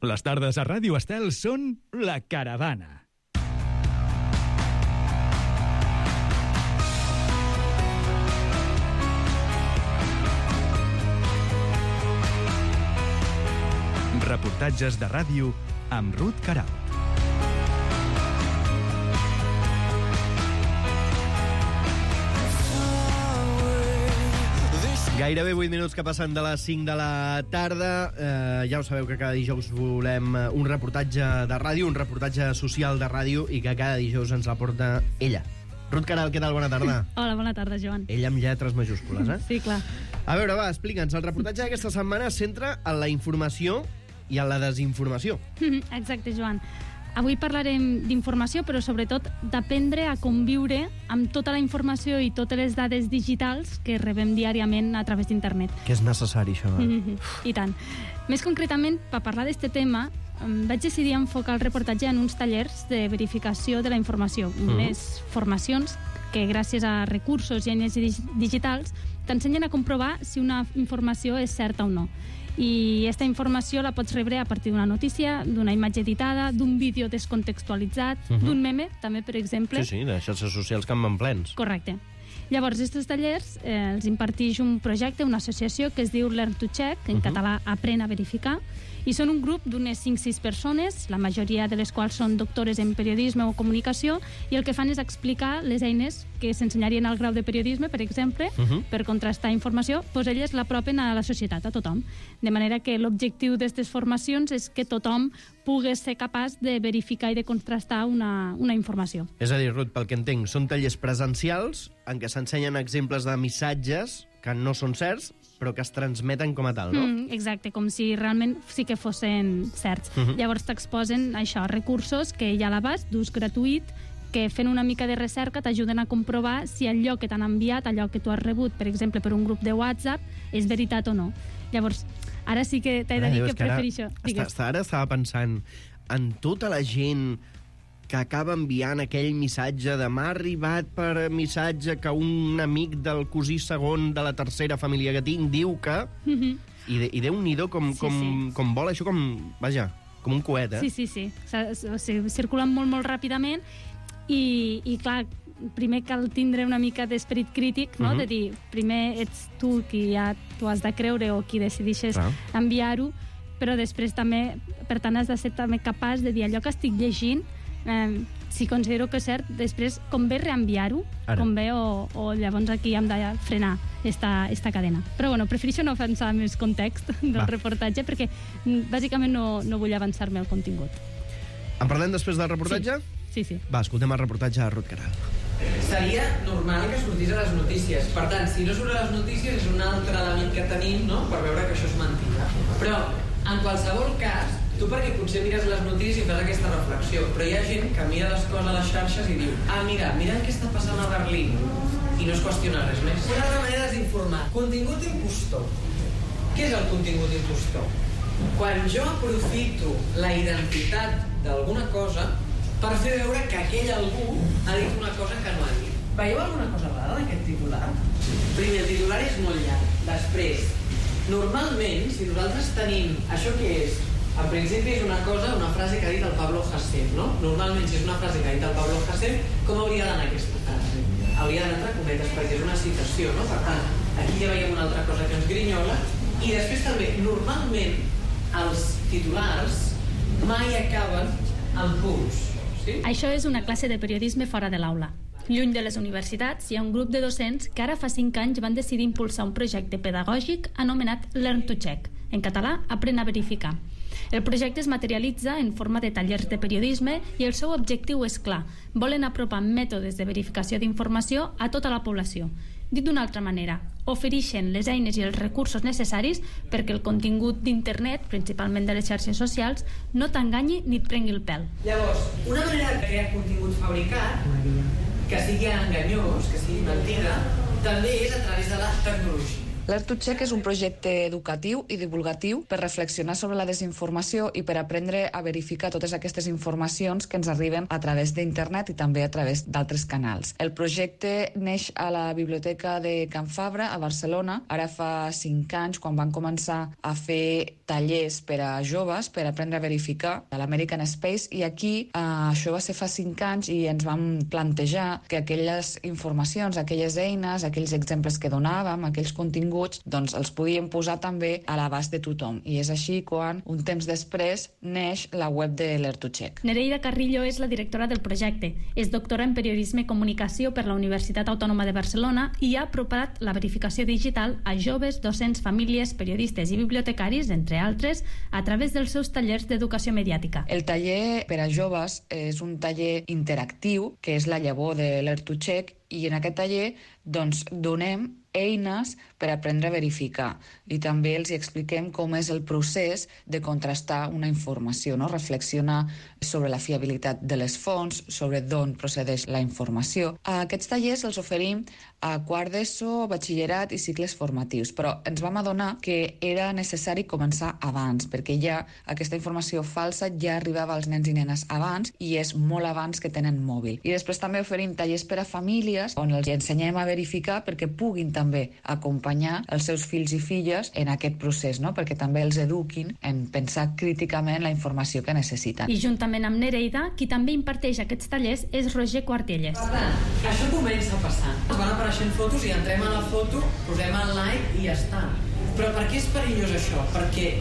Les tardes a Ràdio Estel són La Caravana. Reportatges de ràdio amb Ruth Queralt. Gairebé 8 minuts que passen de les 5 de la tarda. Ja ho sabeu que cada dijous volem un reportatge de ràdio, un reportatge social de ràdio, i que cada dijous ens la porta ella. Ruth Queralt, què tal? Bona tarda. Hola, bona tarda, Joan. Ella amb lletres majúscules, eh? Sí, clar. A veure, va, explica'ns. El reportatge d'aquesta setmana es centra en la informació i en la desinformació. Exacte, Joan. Avui parlarem d'informació, però sobretot d'aprendre a conviure amb tota la informació i totes les dades digitals que rebem diàriament a través d'internet. Que és necessari, això. I tant. Més concretament, per parlar d'aquest tema, vaig decidir enfocar el reportatge en uns tallers de verificació de la informació, unes formacions que gràcies a recursos i eines digitals t'ensenyen a comprovar si una informació és certa o no. I aquesta informació la pots rebre a partir d'una notícia, d'una imatge editada, d'un vídeo descontextualitzat, d'un meme, també, per exemple. Sí, de xarxes socials que en van plens. Correcte. Llavors, aquests tallers els imparteix un projecte, una associació que es diu Learn to Check, en català Aprèn a verificar, i són un grup d'unes 5-6 persones, la majoria de les quals són doctores en periodisme o comunicació, i el que fan és explicar les eines que s'ensenyarien al grau de periodisme, per exemple, per contrastar informació, doncs elles l'apropen a la societat, a tothom. De manera que l'objectiu d'aquestes formacions és que tothom pugui ser capaç de verificar i de contrastar una informació. És a dir, Ruth, pel que entenc, són tallers presencials en què s'ensenyen exemples de missatges que no són certs, però que es transmeten com a tal, no? Exacte, com si realment sí que fossin certs. Llavors t'exposen això, recursos que hi ha a l'abast, d'ús gratuït, que fent una mica de recerca t'ajuden a comprovar si allò que t'han enviat, allò que tu has rebut, per exemple, per un grup de WhatsApp, és veritat o no. Llavors, ara sí que t'he de dir que prefereixo. Ara estava pensant en tota la gent que acaba enviant aquell missatge de m'ha arribat per missatge que un amic del cosí segon de la tercera família que tinc diu que... I Déu-n'hi-do com vola això, vaja, com un coet, eh? Sí. Circulen molt ràpidament i clar, primer cal tindre una mica d'esperit crític, no? De dir, primer ets tu qui ja t'ho has de creure o qui decideixes enviar-ho, però després també, per tant, has de ser també capaç de dir allò que estic llegint, si considero que és cert, després convé reenviar-ho, convé o llavors aquí hem de frenar esta cadena. Però bueno, prefereixo no avançar més context del reportatge perquè bàsicament no vull avançar-me al contingut. En parlem després del reportatge? Sí. Va, escoltem el reportatge de Ruth Queralt. Seria normal que sortís a les notícies. Per tant, si no surt a les notícies és un altre element que tenim, no?, per veure que això és mentida. Però, en qualsevol cas, tu perquè potser mires les notícies i fas aquesta reflexió, però hi ha gent que mira les coses a les xarxes i diu mira què està passant a Berlín, i no es qüestiona res més. Una altra manera és informar. Contingut impostor. Què és el contingut impostor? Quan jo aprofito la identitat d'alguna cosa per fer veure que aquell algú ha dit una cosa que no ha dit. Veieu alguna cosa rara d'aquest titular? Primer, el titular és molt llarg. Després, normalment, si nosaltres tenim això que és, en principi és una frase que ha dit el Pablo Hasél, no? Normalment, si és una frase que ha dit el Pablo Hasél, com hauria d'anar aquesta frase? Hauria d'anar entre cometes, perquè és una citació, no? Per tant, aquí ja veiem una altra cosa que ens grinyola. I després també, normalment, els titulars mai acaben en punts. Sí? Això és una classe de periodisme fora de l'aula. Lluny de les universitats, hi ha un grup de docents que ara fa 5 anys van decidir impulsar un projecte pedagògic anomenat Learn to Check, en català, Aprèn a verificar. El projecte es materialitza en forma de tallers de periodisme i el seu objectiu és clar. Volen apropar mètodes de verificació d'informació a tota la població. Dit d'una altra manera, ofereixen les eines i els recursos necessaris perquè el contingut d'internet, principalment de les xarxes socials, no t'enganyi ni et prengui el pèl. Llavors, una manera de crear contingut fabricat, que sigui enganyós, que sigui mentida, també és a través de la tecnologia. L'Ert2Check és un projecte educatiu i divulgatiu per reflexionar sobre la desinformació i per aprendre a verificar totes aquestes informacions que ens arriben a través d'internet i també a través d'altres canals. El projecte neix a la Biblioteca de Can Fabra, a Barcelona, ara fa 5 anys, quan van començar a fer tallers per a joves per aprendre a verificar a l'American Space, i aquí això va ser fa 5 anys i ens vam plantejar que aquelles informacions, aquelles eines, aquells exemples que donàvem, aquells continguts, doncs els podíem posar també a l'abast de tothom. I és així quan, un temps després, neix la web de l'Ert2Check. Nereida Carrillo és la directora del projecte. És doctora en Periodisme i Comunicació per la Universitat Autònoma de Barcelona i ha apropat la verificació digital a joves, docents, famílies, periodistes i bibliotecaris, entre altres, a través dels seus tallers d'educació mediàtica. El taller per a joves és un taller interactiu, que és la llavor de l'Ert2Check, i en aquest taller doncs, donem eines per aprendre a verificar i també els expliquem com és el procés de contrastar una informació, no? Reflexionar sobre la fiabilitat de les fonts, sobre d'on procedeix la informació. Aquests tallers els oferim a quart d'ESO, batxillerat i cicles formatius, però ens vam adonar que era necessari començar abans, perquè ja aquesta informació falsa ja arribava als nens i nenes abans i és molt abans que tenen mòbil. I després també oferim tallers per a famílies on els ensenyem a verificar perquè puguin també acompanyar els seus fills i filles en aquest procés, no? Perquè també els eduquin en pensar críticament la informació que necessiten. I juntament amb Nereida, qui també imparteix aquests tallers és Roger Quartielles. Per tant, això comença a passar. Ens van apareixent fotos i entrem a la foto, posem el like i ja està. Però per què és perillós això? Perquè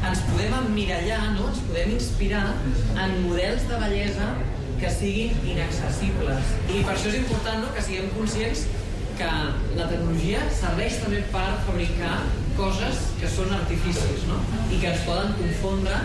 ens podem emmirallar, no? Ens podem inspirar en models de bellesa que siguin inaccessibles. I per això és important, no?, que siguem conscients que la tecnologia serveix també per fabricar coses que són artificis, no?, i que ens poden confondre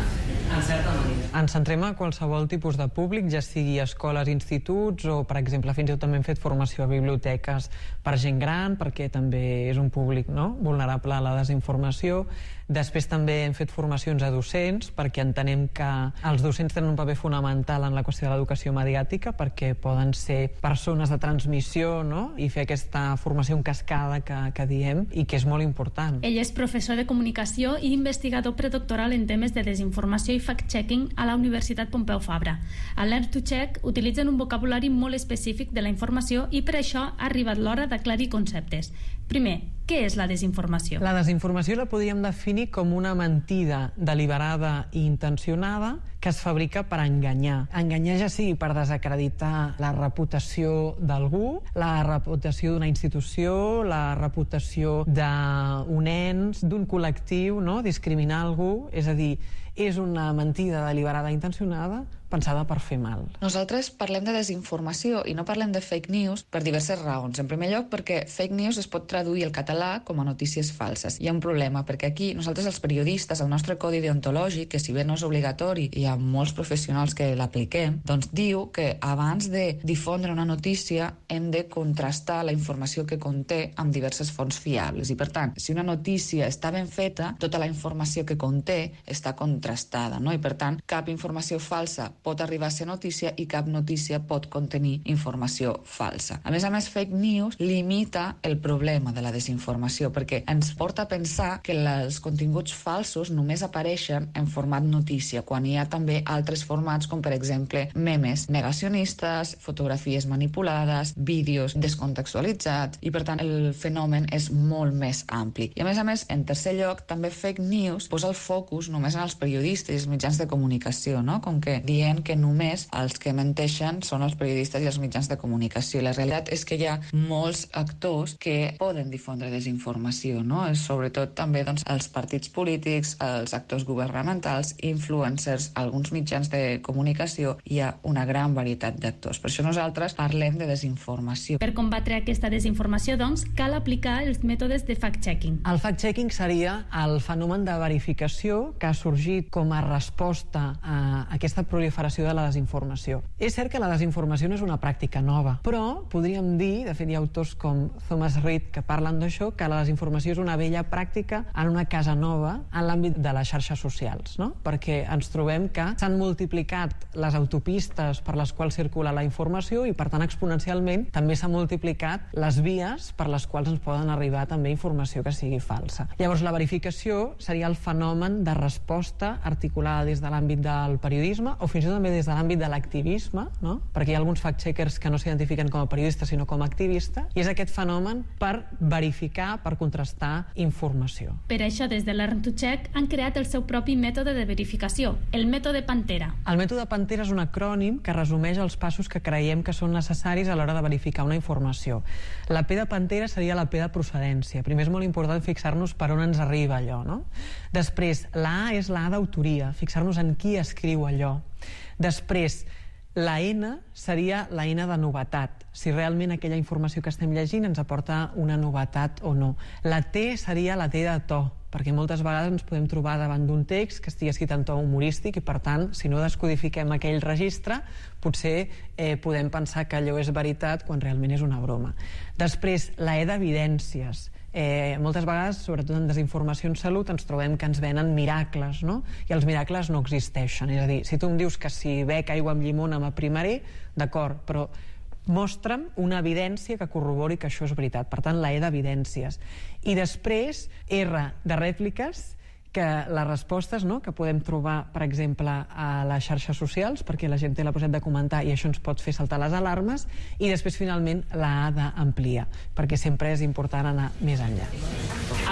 en certa manera. Ens centrem a qualsevol tipus de públic, ja sigui escoles, instituts o, per exemple, fins i tot també hem fet formació a biblioteques per gent gran, perquè també és un públic, no?, vulnerable a la desinformació. Després també hem fet formacions a docents, perquè entenem que els docents tenen un paper fonamental en la qüestió de l'educació mediàtica, perquè poden ser persones de transmissió, no?, i fer aquesta formació en cascada que diem, i que és molt important. Ell és professor de comunicació i investigador predoctoral en temes de desinformació i fact-checking a la Universitat Pompeu Fabra. A l'Ert2Check utilitzen un vocabulari molt específic de la informació i per això ha arribat l'hora d'aclarir conceptes. Primer, què és la desinformació? La desinformació la podríem definir com una mentida deliberada i intencionada que es fabrica per enganyar. Enganyar ja sigui per desacreditar la reputació d'algú, la reputació d'una institució, la reputació d'un ens, d'un col·lectiu, no?, discriminar algú, és a dir, és una mentida deliberada i intencionada pensada per fer mal. Nosaltres parlem de desinformació i no parlem de fake news per diverses raons. En primer lloc, perquè fake news es pot traduir al català com a notícies falses. Hi ha un problema, perquè aquí nosaltres els periodistes, el nostre codi deontològic, que si bé no és obligatori i hi ha molts professionals que l'apliquem, doncs diu que abans de difondre una notícia hem de contrastar la informació que conté amb diverses fonts fiables. I per tant, si una notícia està ben feta, tota la informació que conté està contrastada, no? I per tant, cap informació falsa pot arribar a ser notícia i cap notícia pot contenir informació falsa. A més, fake news limita el problema de la desinformació perquè ens porta a pensar que els continguts falsos només apareixen en format notícia, quan hi ha també altres formats com, per exemple, memes negacionistes, fotografies manipulades, vídeos descontextualitzats, i per tant el fenomen és molt més ampli. I a més, en tercer lloc, també fake news posa el focus només en els periodistes i els mitjans de comunicació, no? Com que dient que només els que menteixen són els periodistes i els mitjans de comunicació. I la realitat és que hi ha molts actors que poden difondre desinformació, no? Sobretot també doncs, els partits polítics, els actors governamentals, influencers, alguns mitjans de comunicació, hi ha una gran varietat d'actors. Per això nosaltres parlem de desinformació. Per combatre aquesta desinformació, doncs, cal aplicar els mètodes de fact-checking. El fact-checking seria el fenomen de verificació que ha sorgit com a resposta a aquesta proliferació proliferació de la desinformació. És cert que la desinformació no és una pràctica nova, però podríem dir, de fet hi ha autors com Thomas Reid que parlen d'això, que la desinformació és una vella pràctica en una casa nova en l'àmbit de les xarxes socials, no? Perquè ens trobem que s'han multiplicat les autopistes per les quals circula la informació i, per tant, exponencialment també s'han multiplicat les vies per les quals ens poden arribar també informació que sigui falsa. Llavors, la verificació seria el fenomen de resposta articulada des de l'àmbit del periodisme o fins i tot també des de l'àmbit de l'activisme, no? Perquè hi ha alguns fact-checkers que no s'identifiquen com a periodistes sinó com a activistes, i és aquest fenomen per verificar, per contrastar informació. Per això, des de Learn2Check han creat el seu propi mètode de verificació, el mètode Pantera. El mètode Pantera és un acrònim que resumeix els passos que creiem que són necessaris a l'hora de verificar una informació. La P de Pantera seria la P de procedència. Primer és molt important fixar-nos per on ens arriba allò, no? Després, la A és la A d'autoria, fixar-nos en qui escriu allò. Després, la N seria la N de novetat, si realment aquella informació que estem llegint ens aporta una novetat o no. La T seria la T de to, perquè moltes vegades ens podem trobar davant d'un text que estigui escrit en to humorístic i, per tant, si no descodifiquem aquell registre, potser podem pensar que allò és veritat quan realment és una broma. Després, la E d'evidències. Moltes vegades, sobretot en desinformació en salut, ens trobem que ens venen miracles, no? I els miracles no existeixen. És a dir, si tu em dius que si bec aigua amb llimona m'aprimaré, d'acord, però mostra'm una evidència que corrobori que això és veritat. Per tant, la E d'evidències. I després, R de rèpliques, que les respostes, no?, que podem trobar, per exemple, a les xarxes socials, perquè la gent té la possibilitat de comentar i això ens pot fer saltar les alarmes, i després, finalment, la A d'ampliar, perquè sempre és important anar més enllà.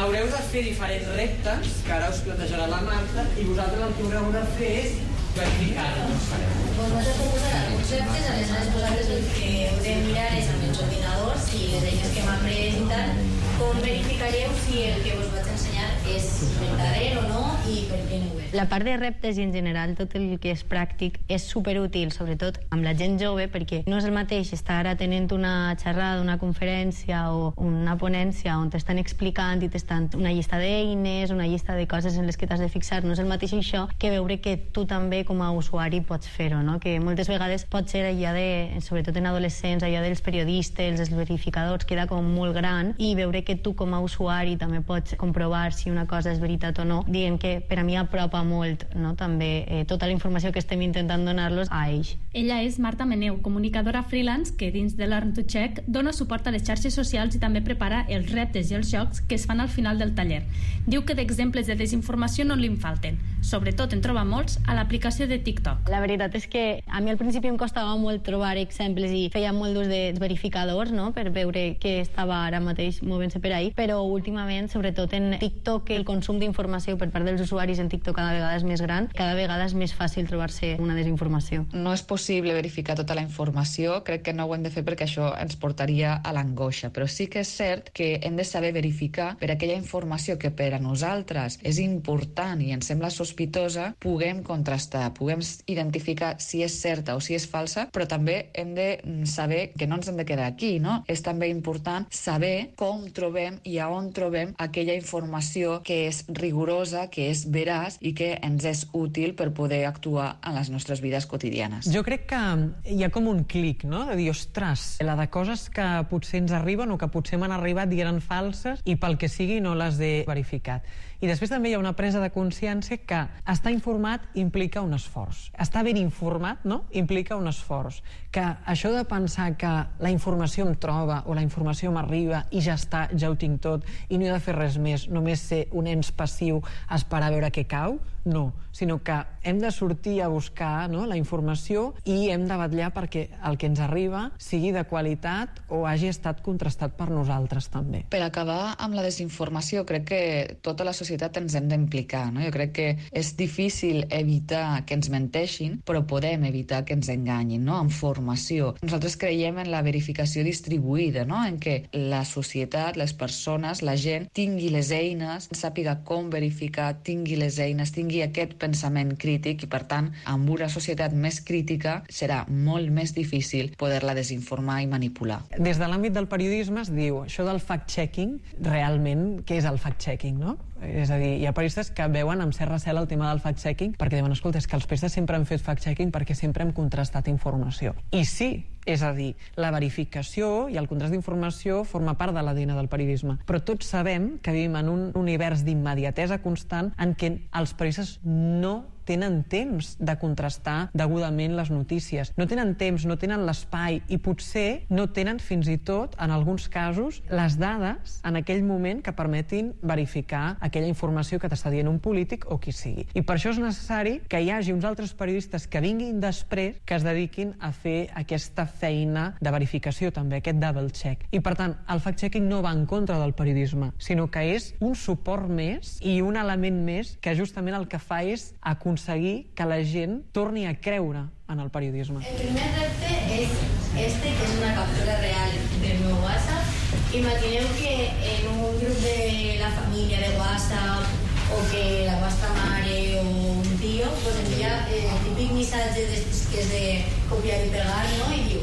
Haureu de fer diferents reptes, que ara us plantejarà la Marta, i vosaltres el que haureu de fer és verificar-los. Vosaltres proposarà uns reptes, aleshores vosaltres el que heu de mirar és amb els ordinadors i les eines que m'han pres i tal, com verificareu si el que us vaig ensenyar és verdader o no i per què no ho és. La part de reptes i en general tot el que és pràctic és superútil, sobretot amb la gent jove, perquè no és el mateix estar atenent una xerrada, una conferència o una ponència on t'estan explicant i t'estan una llista d'eines, una llista de coses en les que t'has de fixar. No és el mateix això que veure que tu també com a usuari pots fer-ho, no? Que moltes vegades pot ser allà de, sobretot en adolescents, allà dels periodistes, els verificadors, queda com molt gran, i veure que tu com a usuari també pots comprovar si una cosa és veritat o no, diguem que per a mi apropa molt, no?, també tota la informació que estem intentant donar-los a ells. Ella és Marta Meneu, comunicadora freelance que dins de Learn2Check dona suport a les xarxes socials i també prepara els reptes i els jocs que es fan al final del taller. Diu que d'exemples de desinformació no li'n falten. Sobretot en troba molts a l'aplicació de TikTok. La veritat és que a mi al principi em costava molt trobar exemples i feia molt d'ús dels verificadors, no?, per veure què estava ara mateix movent-se per ahí, però últimament, sobretot en TikTok, el consum d'informació per part dels usuaris en TikTok cada vegada és més gran, cada vegada és més fàcil trobar-se una desinformació. No és possible verificar tota la informació, crec que no ho hem de fer perquè això ens portaria a l'angoixa, però sí que és cert que hem de saber verificar per aquella informació que per a nosaltres és important i ens sembla sospitosa, puguem contrastar, puguem identificar si és certa o si és falsa, però també hem de saber que no ens hem de quedar aquí, no? És també important saber com trobem i a on trobem aquella informació que és rigorosa, que és veraç i que ens és útil per poder actuar en les nostres vides quotidianes. Jo crec que hi ha com un clic, no?, de dir, ostres, la de coses que potser ens arriben o que potser m'han arribat i eren falses i pel que sigui no les he verificat. I després també hi ha una presa de consciència que estar informat implica un esforç. Estar ben informat, no?, implica un esforç. Que això de pensar que la informació em troba o la informació m'arriba i ja està, ja ho tinc tot i no he de fer res més, només ser un ens passiu a esperar a veure què cau, no, sinó que hem de sortir a buscar, no?, la informació i hem de vetllar perquè el que ens arriba sigui de qualitat o hagi estat contrastat per nosaltres també. Per acabar amb la desinformació, crec que tota la societat ens hem d'implicar, no? Jo crec que és difícil evitar que ens menteixin, però podem evitar que ens enganyin, no?, amb formació. Nosaltres creiem en la verificació distribuïda, no?, en què la societat, les persones, la gent tingui les eines, sàpiga com verificar, tingui les eines, tingui aquest pensament crític i, per tant, amb una societat més crítica serà molt més difícil poder-la desinformar i manipular. Des de l'àmbit del periodisme es diu això del fact-checking, realment, què és el fact-checking, no? És a dir, hi ha periodistes que veuen amb cert recel el tema del fact-checking perquè diuen, escolta, és que els periodistes sempre han fet fact-checking perquè sempre hem contrastat informació. I sí, és a dir, la verificació i el contrast d'informació forma part de l'ADN del periodisme. Però tots sabem que vivim en un univers d'immediatesa constant en què els periodistes no tenen temps de contrastar degudament les notícies. No tenen temps, no tenen l'espai i potser no tenen fins i tot, en alguns casos, les dades en aquell moment que permetin verificar aquella informació que t'està dient un polític o qui sigui. I per això és necessari que hi hagi uns altres periodistes que vinguin després que es dediquin a fer aquesta feina de verificació també, aquest double check. I per tant, el fact-checking no va en contra del periodisme, sinó que és un suport més i un element més que justament el que fa és aconseguir que la gent torni a creure en el periodisme. El primer repte és que és una captura real del meu WhatsApp. Imagineu que en un grup de la família de WhatsApp o que la vostra mare o un tio pues envia el típic missatge que és de copiar i pegar, no? I diu,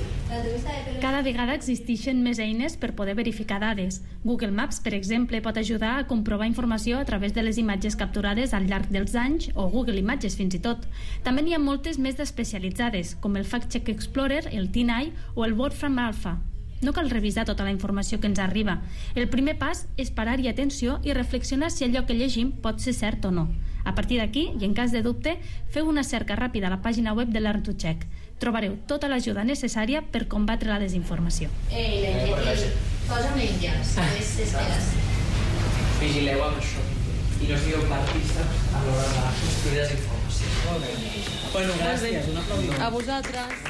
cada vegada existeixen més eines per poder verificar dades. Google Maps, per exemple, pot ajudar a comprovar informació a través de les imatges capturades al llarg dels anys, o Google Imatges fins i tot. També n'hi ha moltes més d'especialitzades, com el Fact Check Explorer, el TinEye o el Wolfram Alpha. No cal revisar tota la informació que ens arriba. El primer pas és parar-hi atenció i reflexionar si allò que llegim pot ser cert o no. A partir d'aquí, i en cas de dubte, feu una cerca ràpida a la pàgina web de Learn2Check. Trobareu tota l'ajuda necessària per combatre la desinformació. Posa'm l'enllaç, esperes. Vigileu amb això i no sigueu partícips a l'hora de construir desinformació. Molt bé. Bueno, gràcies. Un aplaudiment. A vosaltres.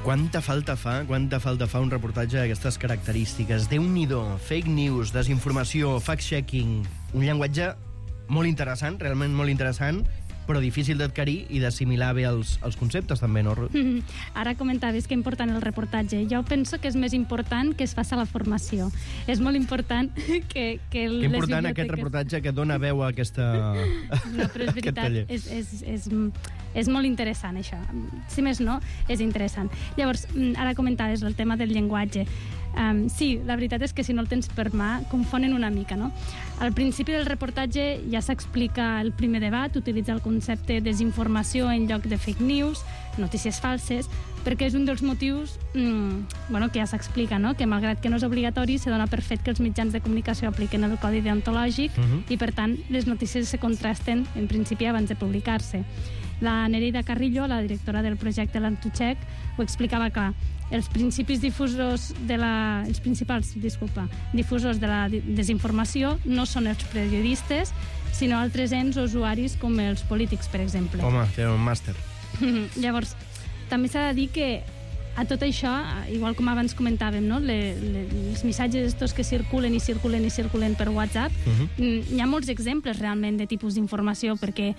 Quanta falta fa un reportatge d'aquestes característiques. Déu-n'hi-do, fake news, desinformació, fact-checking, un llenguatge molt interessant, realment molt interessant, però difícil d'adquirir i d'assimilar bé els conceptes també, no, Ruth? Ara comentaves que important el reportatge. Jo penso que és més important que es faci la formació. És molt important que que important aquest reportatge que dona veu a aquesta... No, però és veritat, és molt interessant, això. Si més no, és interessant. Llavors, ara comentaves el tema del llenguatge. Sí, la veritat és que si no el tens per mà, confonen una mica, no? Al principi del reportatge ja s'explica el primer debat, utilitza el concepte desinformació en lloc de fake news, notícies falses, perquè és un dels motius que ja s'explica, no? Que malgrat que no és obligatori, se dona per fet que els mitjans de comunicació apliquen el codi deontològic i, per tant, les notícies se contrasten, en principi, abans de publicar-se. La Nereida Carrillo, la directora del projecte Learn2Check, ho explicava clar. Els principals difusors de la desinformació no són els periodistes, sinó altres ens o usuaris com els polítics, per exemple. Home, té un màster. Llavors, també s'ha de dir que a tot això, igual com abans comentàvem, no? Els missatges estos que circulen per WhatsApp, hi ha molts exemples realment de tipus d'informació, perquè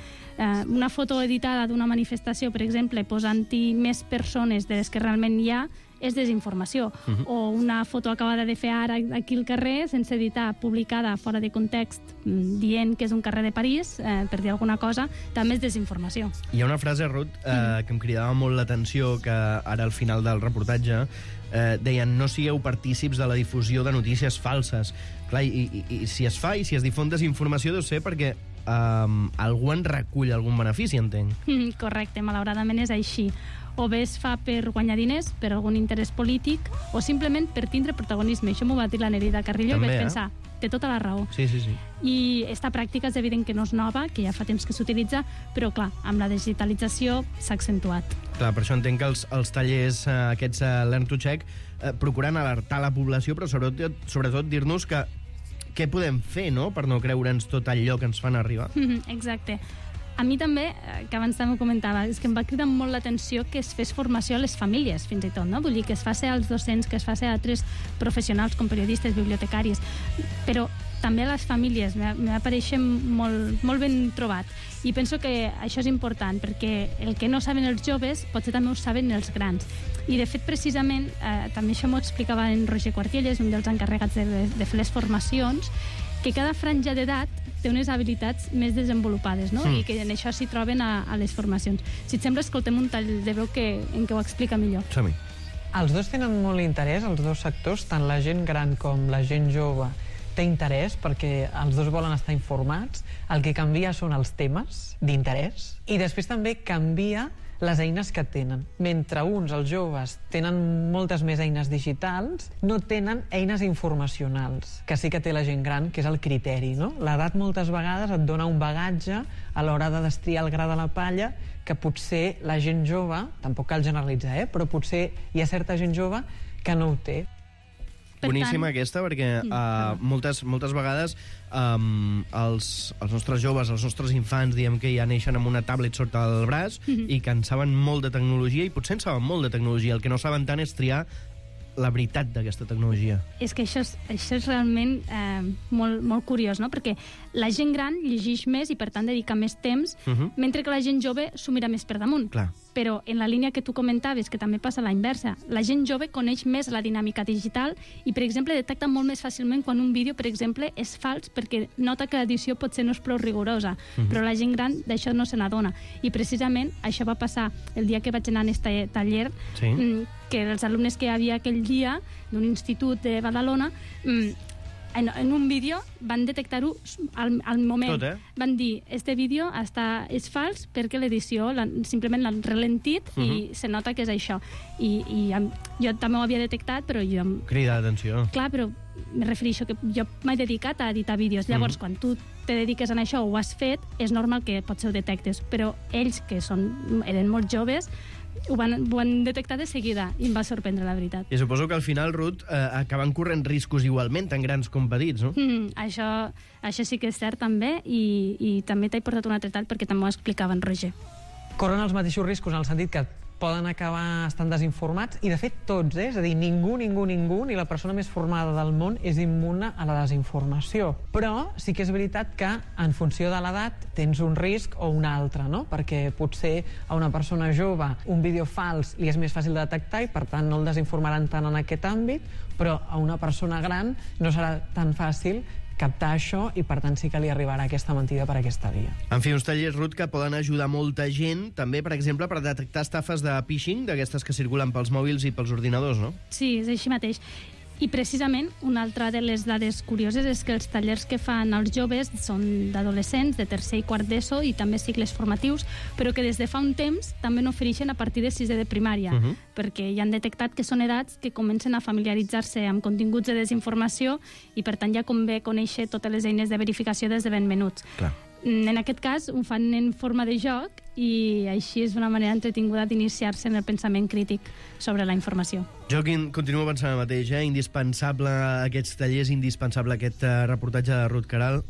una foto editada d'una manifestació, per exemple, posant-hi més persones de les que realment hi ha, és desinformació. O una foto acabada de fer ara aquí al carrer, sense editar, publicada fora de context, dient que és un carrer de París, per dir alguna cosa, també és desinformació. Hi ha una frase, Ruth, que em cridava molt l'atenció, que ara al final del reportatge deien, no sigueu partícips de la difusió de notícies falses. Clar, i si es fa i si es difon desinformació deu ser perquè algú en recull algun benefici, entenc. Correcte, malauradament és així. O bé es fa per guanyar diners, per algun interès polític, o simplement per tindre protagonisme. Això m'ho va dir la Nereida Carrillo i vaig pensar, té tota la raó. Sí. I esta pràctica és evident que no és nova, que ja fa temps que s'utilitza, però clar, amb la digitalització s'ha accentuat. Clar, per això entenc que els tallers aquests Learn2Check procuren alertar la població, però sobretot dir-nos que què podem fer, no?, per no creure'ns tot allò que ens fan arribar. Exacte. A mi també, que abans també ho comentava, és que em va cridar molt l'atenció que es fes formació a les famílies, fins i tot, no? Vull dir, que es faci als docents, que es faci a altres professionals com periodistes, bibliotecaris, però també a les famílies, m'apareix molt ben trobat. I penso que això és important, perquè el que no saben els joves potser també ho saben els grans. I, de fet, precisament, també això m'ho explicava en Roger Quartielles, un dels encarregats de fer les formacions, que cada franja d'edat té unes habilitats més desenvolupades, no? I que en això s'hi troben a les formacions. Si et sembla, escoltem un tall de veu en què ho explica millor. Som-hi. Els dos tenen molt interès, els dos sectors, tant la gent gran com la gent jove té interès perquè els dos volen estar informats. El que canvia són els temes d'interès i després també canvia les eines que tenen. Mentre uns, els joves, tenen moltes més eines digitals, no tenen eines informacionals, que sí que té la gent gran, que és el criteri, no? L'edat moltes vegades et dona un bagatge a l'hora de destriar el gra de la palla que potser la gent jove, tampoc cal generalitzar, però potser hi ha certa gent jove que no ho té. Boníssima aquesta, perquè moltes vegades els nostres joves, els nostres infants, diem que ja neixen amb una tablet sota el braç i que en saben molt de tecnologia i potser en saben molt de tecnologia. El que no saben tant és triar la veritat d'aquesta tecnologia. És que això és realment molt curiós, no? Perquè la gent gran llegeix més i, per tant, dedica més temps, mentre que la gent jove s'ho mira més per damunt. Clar. Però en la línia que tu comentaves, que també passa a la inversa, la gent jove coneix més la dinàmica digital i, per exemple, detecta molt més fàcilment quan un vídeo, per exemple, és fals perquè nota que l'edició potser no és prou rigorosa, però la gent gran d'això no se n'adona. I precisament això va passar el dia que vaig anar en aquest taller, que els alumnes que hi havia aquell dia d'un institut de Badalona, en un vídeo van detectar-ho al moment. Tot, Van dir, este vídeo és fals perquè l'edició simplement l'han ralentit i se nota que és això. I jo també ho havia detectat, però jo... Crida d'atenció. Clar, però me refereixo que jo m'he dedicat a editar vídeos. Llavors, quan tu te dediques a això o ho has fet, és normal que potser ho detectes. Però ells, que eren molt joves, ho van detectar de seguida i em va sorprendre, la veritat. I suposo que al final, Ruth, acaben corrent riscos igualment, tan grans com petits, no? Això sí que és cert, també, i també t'he portat un altre tall perquè també ho explicava en Roger. Corren els mateixos riscos en el sentit que poden acabar estant desinformats, i de fet tots, és a dir, ningú, ni la persona més formada del món és immune a la desinformació. Però sí que és veritat que en funció de l'edat tens un risc o un altre, no? Perquè potser a una persona jove un vídeo fals li és més fàcil de detectar i per tant no el desinformaran tant en aquest àmbit, però a una persona gran no serà tan fàcil captar això i, per tant, sí que li arribarà aquesta mentida per aquesta via. En fi, uns tallers, Ruth, que poden ajudar molta gent, també, per exemple, per detectar estafes de phishing, d'aquestes que circulen pels mòbils i pels ordinadors, no? Sí, és així mateix. I precisament una altra de les dades curioses és que els tallers que fan els joves són d'adolescents, de tercer i quart d'ESO i també cicles formatius, però que des de fa un temps també n'ofereixen a partir de sisè de primària, perquè ja han detectat que són edats que comencen a familiaritzar-se amb continguts de desinformació i per tant ja convé conèixer totes les eines de verificació des de ben menuts. Clar. En aquest cas ho fan en forma de joc i així és una manera entretinguda d'iniciar-se en el pensament crític sobre la informació. Jo continuo pensant el mateix, indispensable aquests tallers, indispensable aquest reportatge de Ruth Queralt.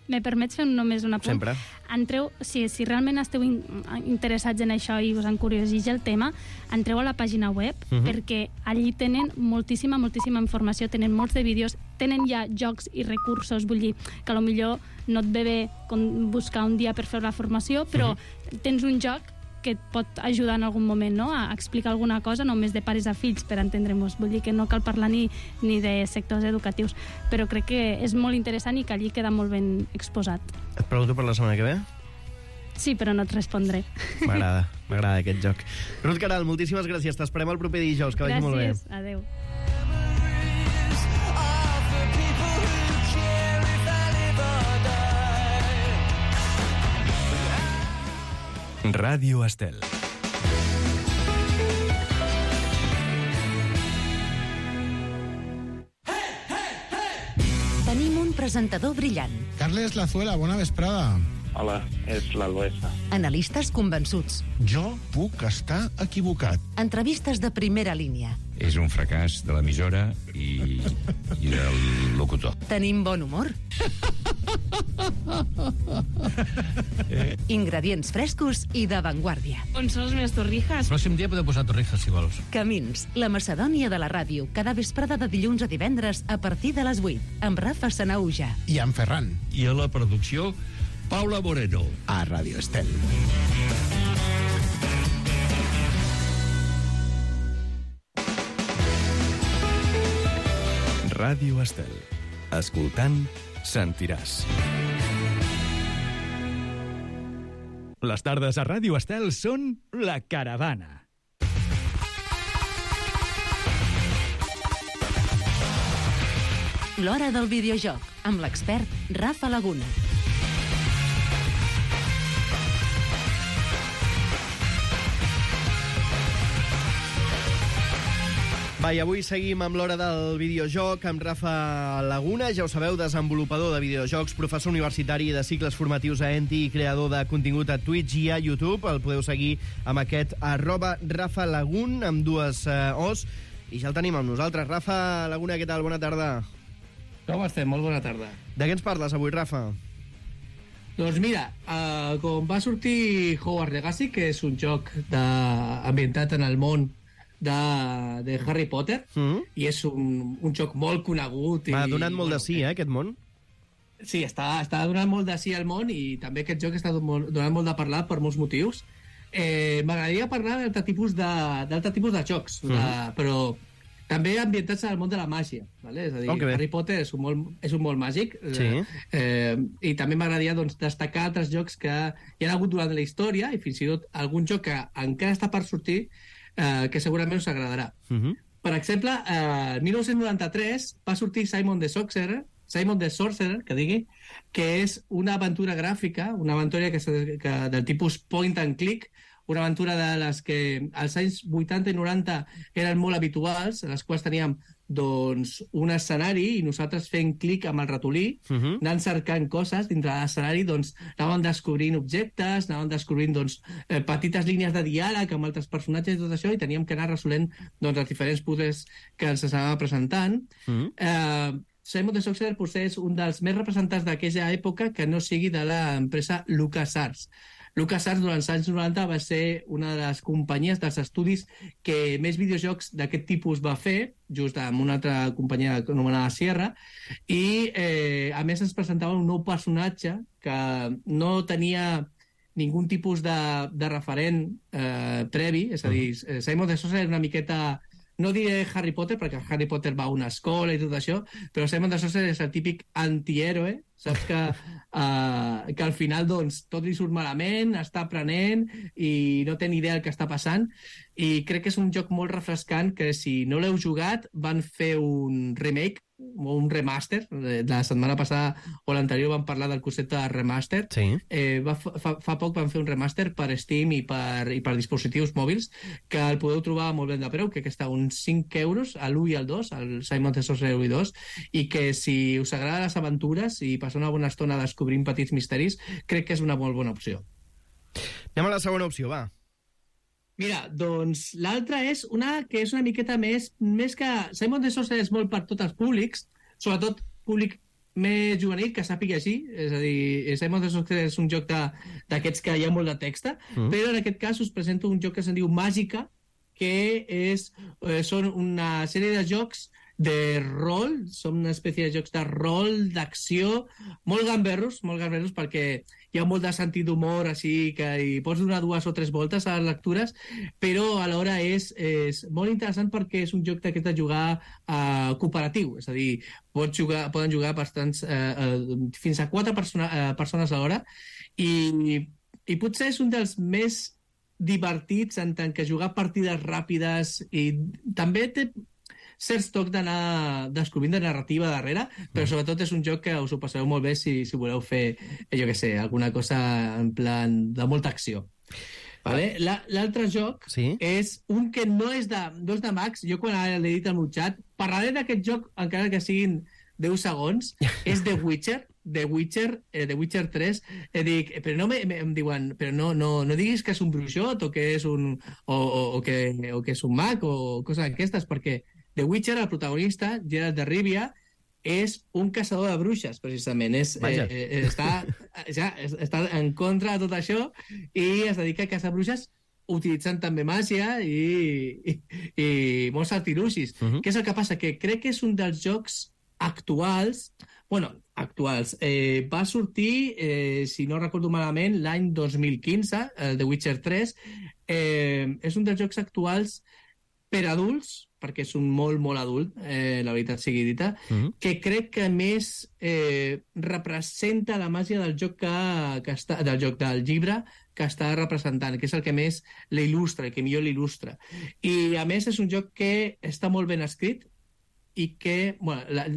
Me permets fer només un apunt? Sempre. Entreu, si realment esteu interessats en això i us encurioseix el tema, entreu a la pàgina web, perquè allí tenen moltíssima informació, tenen molts de vídeos, tenen ja jocs i recursos, vull dir que potser no et ve bé buscar un dia per fer la formació, però tens un joc que et pot ajudar en algun moment, no?, a explicar alguna cosa, només de pares a fills, per entendre-nos. Vull dir que no cal parlar ni de sectors educatius, però crec que és molt interessant i que allí queda molt ben exposat. Et pregunto per la setmana que ve? Sí, però no et respondré. M'agrada aquest joc. Ruth Queralt, moltíssimes gràcies. T'esperem el proper dijous, que vagi molt bé. Gràcies, adeu. Ràdio Estel. Tenim un presentador brillant. Carles Lazuela, bona vesprada. Hola, és l'Albesa. Analistes convençuts. Jo puc estar equivocat. Entrevistes de primera línia. És un fracàs de l'emissora i del locutor. Tenim bon humor. Ingredients frescos i d'avantguàrdia. On són les meves torrijas? Pròxim dia podeu posar torrijas, si vols. Camins, la Macedònia de la ràdio, cada vesprada de dilluns a divendres a partir de les 8, amb Rafa Sanauja. I en Ferran. I a la producció, Paula Moreno. A Radio Estel. Ràdio Estel. Escoltant, sentiràs. Les tardes a Ràdio Estel són La Caravana. L'hora del videojoc, amb l'expert Rafa Laguna. Va, i avui seguim amb l'hora del videojoc amb Rafa Laguna, ja ho sabeu, desenvolupador de videojocs, professor universitari de cicles formatius a ENTI i creador de contingut a Twitch i a YouTube. El podeu seguir amb aquest @RafaLagun, amb dues O's. I ja el tenim amb nosaltres. Rafa Laguna, què tal? Bona tarda. Com estem? Molt bona tarda. De què ens parles avui, Rafa? Doncs mira, com va sortir Hogwarts Legacy, que és un joc ambientat en el món de Harry Potter, i és un joc molt conegut. M'ha donat molt de sí, aquest món. Sí, està donant molt de sí al món, i també aquest joc està donant molt de parlar per molts motius. M'agradaria parlar d'altre tipus de jocs, però també ambientats en el món de la màgia, ¿vale? És a dir, Harry Potter és un món màgic, i també m'agradaria destacar altres jocs que hi ha hagut durant la història, i fins i tot algun joc que encara està per sortir, que segurament us agradarà. Per exemple, el 1993 va sortir Simon the Sorcerer, que és una aventura gràfica, una aventura del tipus point and click, una aventura de les que als anys 80 i 90 eren molt habituals, en les quals teníem un escenari i nosaltres fent clic amb el ratolí, anant cercant coses dintre de l'escenari, anàvem descobrint objectes, anàvem descobrint petites línies de diàleg amb altres personatges i tot això, i teníem que anar resolent els diferents puzzles que ens anava presentant. Simon the Sorcerer potser és un dels més representants d'aquella època que no sigui de l'empresa LucasArts. LucasArts durant els anys 90 va ser una de les companyies dels estudis que més videojocs d'aquest tipus va fer, just amb una altra companyia anomenada Sierra, i a més ens presentava un nou personatge que no tenia ningú tipus de referent previ, és a dir, Simon the Sorcerer era una miqueta, no diré Harry Potter, perquè Harry Potter va a una escola i tot això, però Simon the Sorcerer és el típic antihéroe, saps que al final tot li surt malament, està aprenent i no té ni idea del que està passant, i crec que és un joc molt refrescant que, si no l'heu jugat, van fer un remake o un remaster. La setmana passada o l'anterior vam parlar del concepte de remaster. Fa poc van fer un remaster per Steam i per dispositius mòbils, que el podeu trobar molt ben de preu, que està uns 5 euros, a l'1 i al 2, el Simon the Sorcerer 1 i 2, i que si us agraden les aventures i passar una bona estona descobrint petits misteris, crec que és una molt bona opció. Anem a la segona opció, va. Mira, doncs l'altra és una que és una miqueta més que... Simon the Sorcerer és molt per tots els públics, sobretot públic més juvenil que sàpiga així, és a dir, Simon the Sorcerer és un joc d'aquests que hi ha molt de text, però en aquest cas us presento un joc que se'n diu Màgica, que són una sèrie de jocs de rol, són una espècie de jocs de rol, d'acció, molt gamberros, perquè hi ha molt de sentit d'humor, així que hi pots donar 2 o 3 voltes a les lectures, però alhora és molt interessant perquè és un joc d'aquest de jugar cooperatiu, és a dir, poden jugar fins a 4 persones a l'hora, i potser és un dels més divertits en tant que jugar partides ràpides, i també té certs tocs d'anar descobrint de narrativa darrere, però sobretot és un joc que us ho passareu molt bé si voleu fer, jo què sé, alguna cosa en plan de molta acció. Vale? L'altre joc és un que no és de Max. Jo quan l'he dit al meu xat parlaré d'aquest joc, encara que siguin 10 segons, és The Witcher. The Witcher 3, però no em diuen, però no diguis que és un bruixot o que és un mag o coses d'aquestes, perquè The Witcher, el protagonista, Geralt de Rivia, és un caçador de bruixes, precisament. Està en contra de tot això i es dedica a caçar bruixes utilitzant també màgia i molts artilucis. Què és el que passa? Que crec que és un dels jocs actuals. Va sortir, si no recordo malament, l'any 2015, el The Witcher 3. És un dels jocs actuals per adults, perquè és un molt, molt adult, la veritat sigui dita, que crec que més representa la màgia del joc del llibre que està representant, que és el que més l'il·lustra, el que millor l'il·lustra. I, a més, és un joc que està molt ben escrit i que,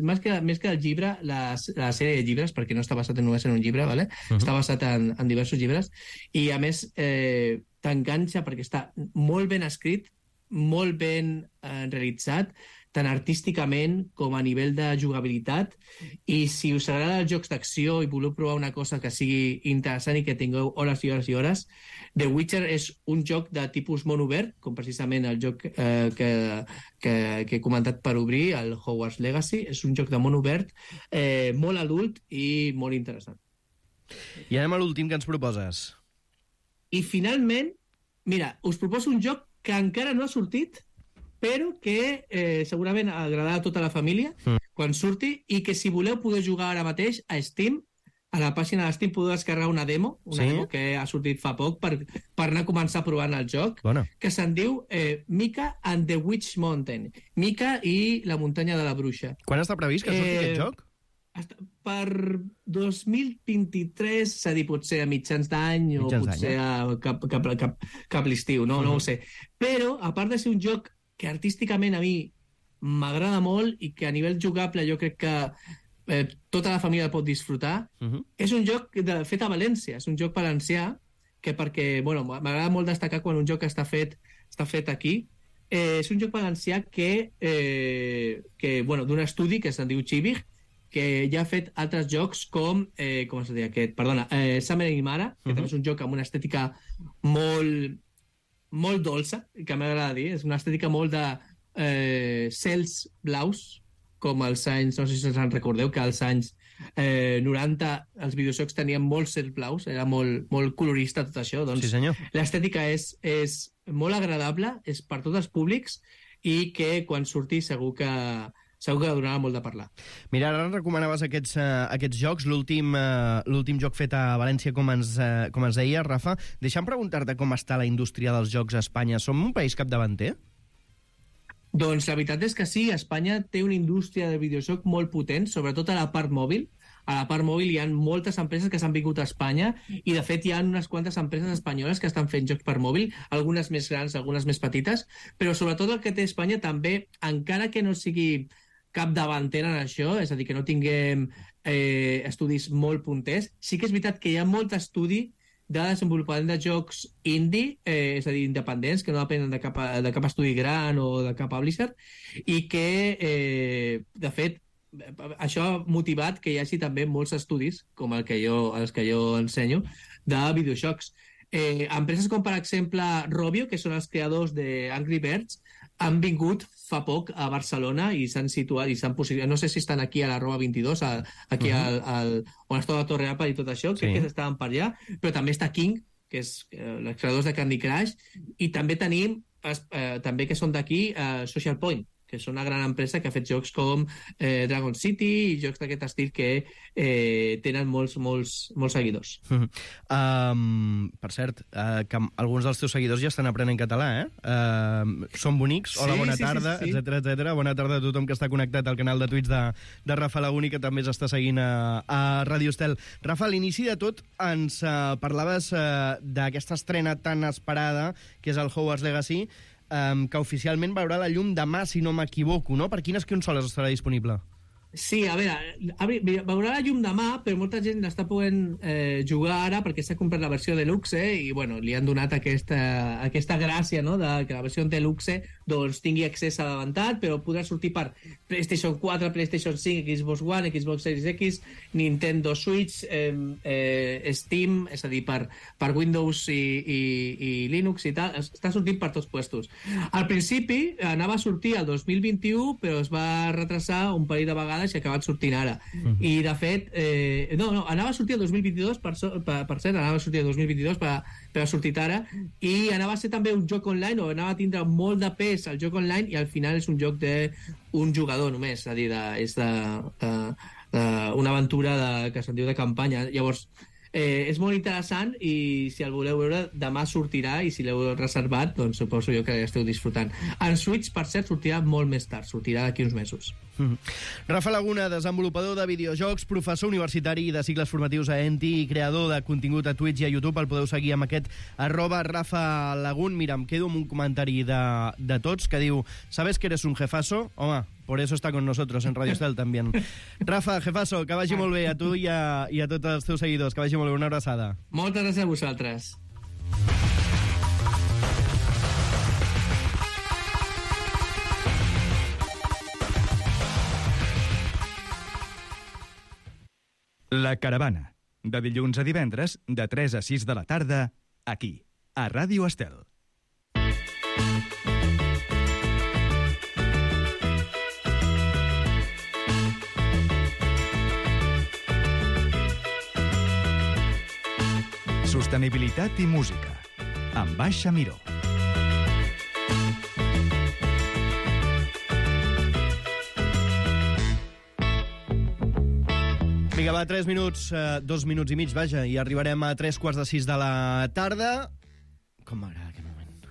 més que el llibre, la sèrie de llibres, perquè no està basat només en un llibre, ¿vale? Està basat en diversos llibres, i, a més, t'enganxa perquè està molt ben escrit, molt ben realitzat, tant artísticament com a nivell de jugabilitat, i si us agrada els jocs d'acció i voleu provar una cosa que sigui interessant i que tingueu hores i hores i hores, The Witcher és un joc de tipus món obert, com precisament el joc que he comentat per obrir, el Hogwarts Legacy. És un joc de món obert, molt adult i molt interessant. I anem a l'últim que ens proposes. I finalment, mira, us proposo un joc que encara no ha sortit, però que segurament agradarà a tota la família quan surti, i que si voleu podeu jugar ara mateix a Steam. A la pàgina de Steam podeu descarregar una demo que ha sortit fa poc per anar a començar provant el joc, que se'n diu Mika and the Witch Mountain. Mika i la muntanya de la bruixa. Quan està previst que surti aquest joc? Per 2023, és a dir, potser a mitjans d'any o potser cap l'estiu, no ho sé. Però, a part de ser un joc que artísticament a mi m'agrada molt i que a nivell jugable jo crec que tota la família el pot disfrutar, és un joc fet a València, és un joc valencià que, perquè m'agrada molt destacar quan un joc està fet aquí. És un joc valencià que d'un estudi que se'n diu Chivig, que ja ha fet altres jocs com es diu aquest? Perdona, Summer in Mara, que també és un joc amb una estètica molt dolça, que m'agrada dir, és una estètica molt de cels blaus, com als anys, no sé si us recordeu, que als anys 90 els videojocs tenien molts cels blaus, era molt colorista tot això, doncs l'estètica és molt agradable, és per tots els públics, i que quan surti segur que donarà molt de parlar. Mira, ara recomanaves aquests jocs, l'últim joc fet a València, com ens deia, Rafa. Deixa'm preguntar-te com està la indústria dels jocs a Espanya. Som un país capdavanter? Doncs la veritat és que sí, Espanya té una indústria de videojoc molt potent, sobretot a la part mòbil. A la part mòbil hi ha moltes empreses que s'han vingut a Espanya i, de fet, hi ha unes quantes empreses espanyoles que estan fent jocs per mòbil, algunes més grans, algunes més petites, però sobretot el que té Espanya també, encara que no sigui capdavantera en això, és a dir, que no tinguem estudis molt punters, sí que és veritat que hi ha molt estudi de desenvolupament de jocs indie, és a dir, independents, que no depenen de cap estudi gran o de cap publisher, i que, de fet, això ha motivat que hi hagi també molts estudis, com els que jo ensenyo, de videojocs. Empreses com, per exemple, Rovio, que són els creadors de Angry Birds, han vingut fa poc a Barcelona i s'han situat, i s'han posicionat, no sé si estan aquí a la Roba 22, aquí on està la Torre Apple i tot això, crec que estaven per allà, però també està King, que és els creadors de Candy Crush, i també tenim, també que són d'aquí, Social Point, que és una gran empresa que ha fet jocs com Dragon City i jocs d'aquest estil que tenen molts seguidors. Per cert, que alguns dels teus seguidors ja estan aprenent català, Són bonics, hola, bona tarda, etcètera. Bona tarda a tothom que està connectat al canal de Twitch de Rafa Laguni, que també s'està seguint a Radio Estel. Rafa, a l'inici de tot ens parlaves d'aquesta estrena tan esperada, que és el Hogwarts Legacy, que oficialment veurà la llum demà, si no m'equivoco, no? Per quines consoles estarà disponible? Sí, a veure, veurà la llum demà, però molta gent l'està podent jugar ara perquè s'ha comprat la versió Deluxe i, bueno, li han donat aquesta gràcia, no?, de que la versió Deluxe doncs tingui accés a l'avantat, però podrà sortir per PlayStation 4, PlayStation 5, Xbox One, Xbox Series X, Nintendo Switch, Steam, és a dir, per Windows i Linux i tal, està sortint per tots puestos. Al principi anava a sortir el 2021, però es va retrasar un parell de vegades vegades i ha acabat sortint ara. I, de fet, anava a sortir el 2022, per cert, anava a sortir el 2022, però ha sortit ara, i anava a ser també un joc online, o anava a tindre molt de pes al joc online, i al final és un joc d'un jugador només, és a dir, és una aventura que se'n diu de campanya. Llavors, és molt interessant, i si el voleu veure, demà sortirà, i si l'heu reservat, doncs suposo jo que esteu disfrutant. En Switch, per cert, sortirà molt més tard, sortirà d'aquí uns mesos. Rafa Laguna, desenvolupador de videojocs, professor universitari de cicles formatius a ENTI i creador de contingut a Twitch i a YouTube. El podeu seguir amb aquest @RafaLagun. Mira, em quedo amb un comentari de tots que diu: ¿Sabes que eres un jefazo? Home, por eso está con nosotros en Radio Estel también. Rafa, jefazo, que vagi molt bé a tu i a tots els teus seguidors. Que vagi molt bé, una abraçada. Moltes gràcies a vosaltres. La Caravana, de dilluns a divendres, de 3 a 6 de la tarda, aquí, a Ràdio Estel. Sostenibilitat i música, amb Baixa Miró. Vinga, va, 3 minuts, 2 minuts i mig, vaja, i arribarem a 3:45 de la tarda. Com m'agrada aquest moment.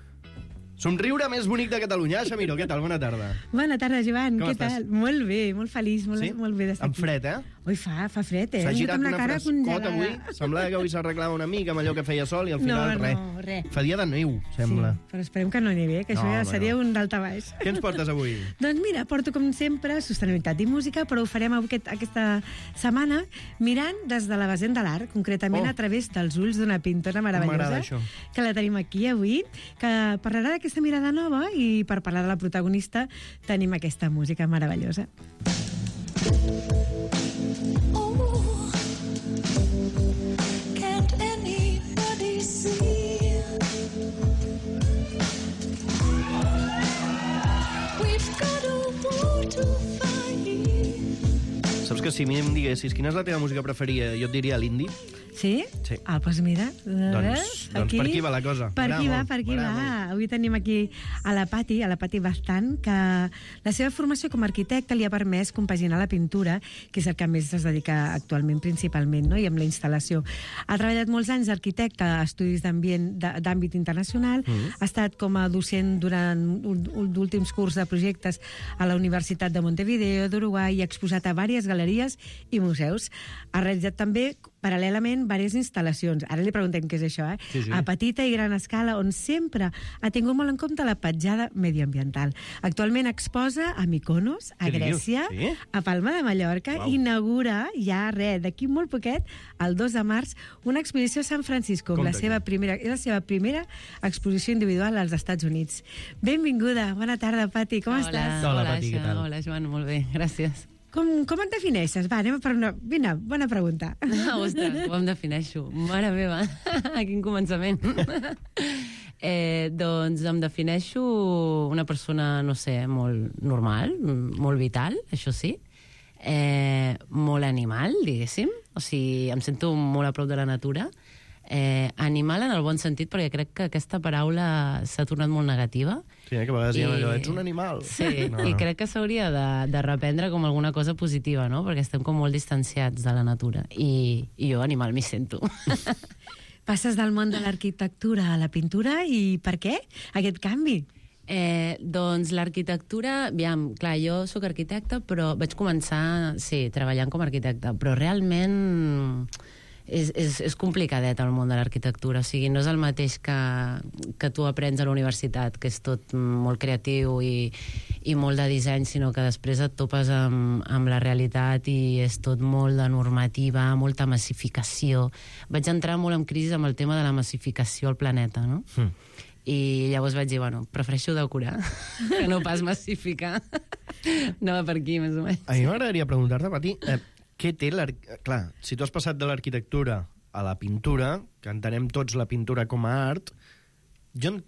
Somriure més bonic de Catalunya. Xamiro, què tal? Bona tarda. Bona tarda, Joan. Com què estàs? tal? Molt bé, molt feliç, molt bé d'estar Amb aquí. fred, Ui, fa fred, S'ha girat Amb una cara frescota congelada. avui. Semblava que avui s'arreglava una mica amb allò que feia sol i al final res. Fa dia de neu, sembla. Sí, però esperem que no nevi, que això ja seria un d'alta baix. Què ens portes avui? Doncs mira, porto com sempre sostenibilitat i música, però ho farem aquesta setmana mirant des de la vessant de l'art, concretament a través dels ulls d'una pintora M'agrada meravellosa, això. que la tenim aquí avui, que parlarà d'aquesta mirada nova, i per parlar de la protagonista tenim aquesta música meravellosa. Saps que si a mi em diguessis quina és la teva música preferida, jo et diria l'indie. Sí? Sí. Ah, doncs mira. Doncs per aquí va la cosa. Per aquí va. Avui tenim aquí a la Pati Bastant, que la seva formació com a arquitecte li ha permès compaginar la pintura, que és el que més es dedica actualment principalment, no? I amb la instal·lació. Ha treballat molts anys d'arquitecte a estudis d'àmbit internacional, ha estat com a docent durant últims curs de projectes a la Universitat de Montevideo, d'Uruguai, i ha exposat a diverses galeries i museus. Ha realitzat també paral·lelament diverses instal·lacions. Ara li preguntem què és això, Sí. A petita i gran escala, on sempre ha tingut molt en compte la petjada mediambiental. Actualment exposa a Mykonos, a Grècia, a Palma de Mallorca, i inaugura ja, d'aquí molt poquet, el 2 de març, una exposició a San Francisco, és la seva primera exposició individual als Estats Units. Benvinguda, bona tarda, Pati, com estàs? Hola, Pati, què tal? Hola, Joan, molt bé, gràcies. Com et defineixes? Va, anem per una... Vine, bona pregunta. Ostres, com em defineixo? Mare meva, quin començament. Doncs em defineixo una persona, no sé, molt normal, molt vital, això sí, molt animal, diguéssim. O sigui, em sento molt a prop de la natura. Animal en el bon sentit, perquè crec que aquesta paraula s'ha tornat molt negativa. Sí, que a vegades diem allò, ets un animal. Sí, i crec que s'hauria de reprendre com alguna cosa positiva, no? Perquè estem com molt distanciats de la natura. I jo animal m'hi sento. Passes del món de l'arquitectura a la pintura, i per què aquest canvi? Doncs l'arquitectura, aviam, clar, jo sóc arquitecta, però vaig començar, sí, treballant com a arquitecta, però realment és complicadet el món de l'arquitectura. O sigui, no és el mateix que tu aprens a la universitat, que és tot molt creatiu i molt de disseny, sinó que després et topes amb la realitat i és tot molt de normativa, molta massificació. Vaig entrar molt en crisi amb el tema de la massificació al planeta, no? I llavors vaig dir, bueno, prefereixo decorar que no pas massificar. No va per aquí, més o menys. A mi m'agradaria preguntar-te, Pati, què té clar, si tu has passat de l'arquitectura a la pintura, que entenem tots la pintura com a art, jo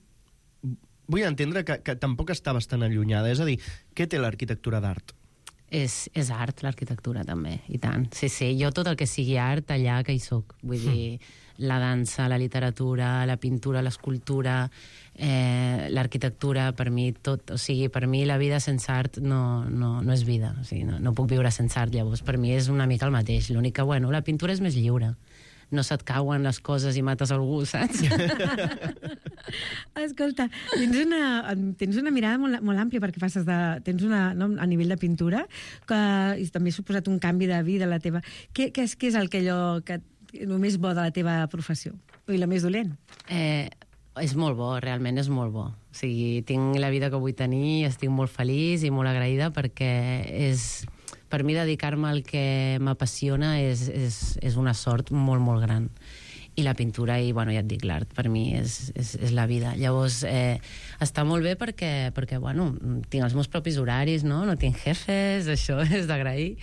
vull entendre que tampoc estaves tan allunyada. És a dir, què té l'arquitectura d'art? és art, l'arquitectura, també, i tant. Sí, jo tot el que sigui art, allà que hi soc. Vull dir, la dansa, la literatura, la pintura, l'escultura, l'arquitectura, per mi tot, o sigui, per mi la vida sense art no és vida, o sigui, no puc viure sense art, llavors per mi és una mica el mateix, l'únic que, bueno, la pintura és més lliure, no se't cauen les coses i mates algú, saps? Escolta, tens una mirada molt àmplia perquè tens a nivell de pintura, que també ha suposat un canvi de vida a la teva... Què és allò que el més bo de la teva professió? I la més dolent? És molt bo, realment és molt bo. O sigui, tinc la vida que vull tenir, estic molt feliç i molt agraïda perquè per mi dedicar-me al que m'apassiona és una sort molt, molt gran. I la pintura i, bueno, ja et dic, l'art per mi és la vida. Llavors, està molt bé perquè, bueno, tinc els meus propis horaris, no tinc jefes, això és d'agrair.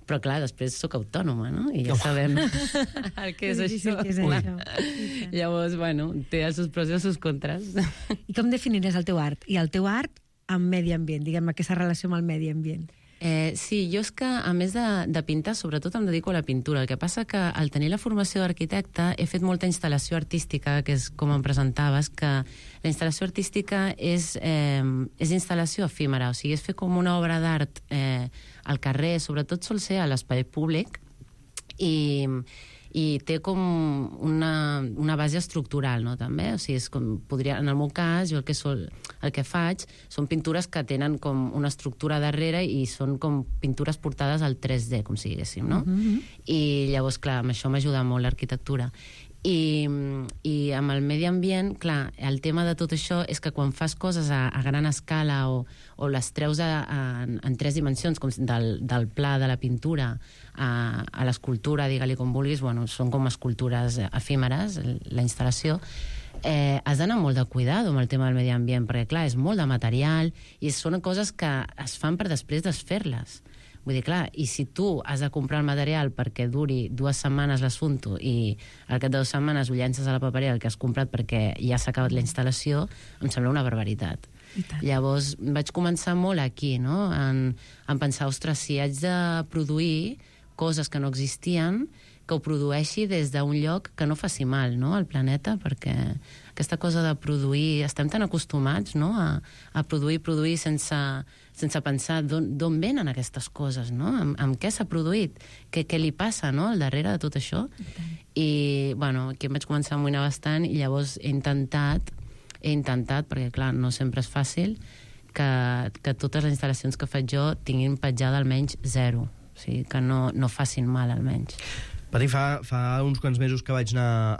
Però, clar, després sóc autònoma, no? I ja sabem el que és això. Llavors, bueno, té els seus pros i els seus contres. I com definiries el teu art? I el teu art amb medi ambient, diguem, aquesta relació amb el medi ambient. Sí, jo és que, a més de pintar, sobretot em dedico a la pintura. El que passa que, al tenir la formació d'arquitecte, he fet molta instal·lació artística, que és com em presentaves, que la instal·lació artística és instal·lació efímera, o sigui, és fer com una obra d'art al carrer, sobretot sol ser a l'espai públic, i té com una base estructural, no, també? O sigui, és com en el meu cas, jo el que faig són pintures que tenen com una estructura darrere i són com pintures portades al 3D, com si diguéssim, no? I llavors, clar, amb això m'ajuda molt l'arquitectura. I amb el medi ambient, clar, el tema de tot això és que quan fas coses a gran escala o les treus en 3 dimensions, com del pla de la pintura a l'escultura, digue-li com vulguis, bueno, són com escultures efímeres, la instal·lació, has d'anar molt de cuidado amb el tema del medi ambient, perquè, clar, és molt de material i són coses que es fan per després desfer-les. Vull dir, clar, i si tu has de comprar el material perquè duri 2 setmanes l'assumpto i al cap de 2 setmanes ho llences a la paperera el que has comprat perquè ja s'ha acabat la instal·lació, em sembla una barbaritat. Llavors vaig començar molt aquí, no?, en pensar, ostres, si haig de produir coses que no existien, que ho produeixi des d'un lloc que no faci mal, no?, al planeta, perquè aquesta cosa de produir, estem tan acostumats, no?, a produir sense pensar d'on venen aquestes coses, no?, amb què s'ha produït, què li passa, no?, al darrere de tot això. I, bueno, aquí em vaig començar a amoïnar bastant i llavors he intentat, perquè, clar, no sempre és fàcil, que totes les instal·lacions que faig jo tinguin petjada almenys 0, o sigui, que no facin mal, almenys. Pati, fa uns quants mesos que vaig anar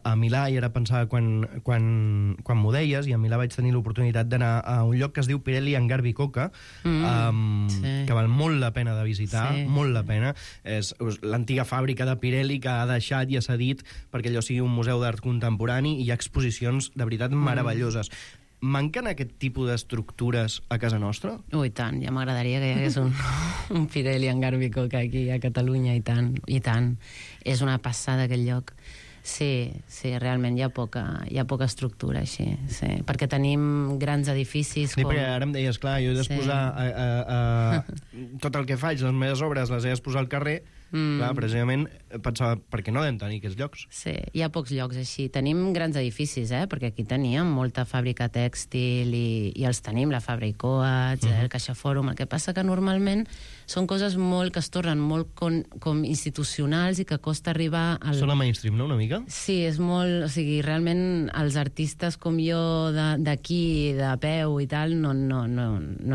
a Milà i ara pensava quan m'ho deies, i a Milà vaig tenir l'oportunitat d'anar a un lloc que es diu Pirelli Hangar Bicocca, que val molt la pena de visitar, molt la pena. És l'antiga fàbrica de Pirelli que ha deixat i ha cedit perquè allò sigui un museu d'art contemporani i hi ha exposicions de veritat meravelloses. Manquen aquest tipus d'estructures a casa nostra? I tant, ja m'agradaria que hi hagués un Pirelli Hangar Bicocca aquí a Catalunya, i tant. És una passada aquest lloc. Sí, realment hi ha poca estructura així, sí. Perquè tenim grans edificis com... perquè ara em deies, clar, jo he d'exposar tot el que faig, les meves obres les he d'exposar al carrer. Clar, precisament pensava, per què no hem tenir aquests llocs? Sí, hi ha pocs llocs així. Tenim grans edificis, perquè aquí teníem molta fàbrica tèxtil i els tenim, la Fabra i Coats, el Caixa Fòrum. El que passa que normalment són coses molt que es tornen molt com institucionals i que costa arribar al... Són a mainstream, no?, una mica? Sí, és molt... O sigui, realment els artistes com jo d'aquí, de peu i tal, no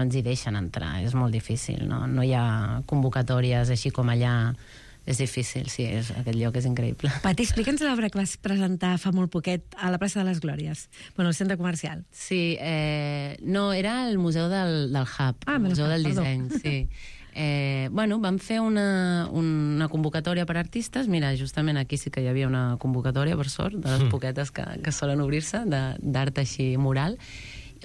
ens hi deixen entrar. És molt difícil, no hi ha convocatòries així com allà. És difícil, sí, aquest lloc és increïble. Pati, explica'ns l'obra que vas presentar fa molt poquet a la plaça de les Glòries, bueno, al centre comercial. Sí, no, era el museu del Hub, el museu del disseny, sí. Bueno, vam fer una convocatòria per artistes. Mira, justament aquí sí que hi havia una convocatòria, per sort, de les poquetes que solen obrir-se, d'art així mural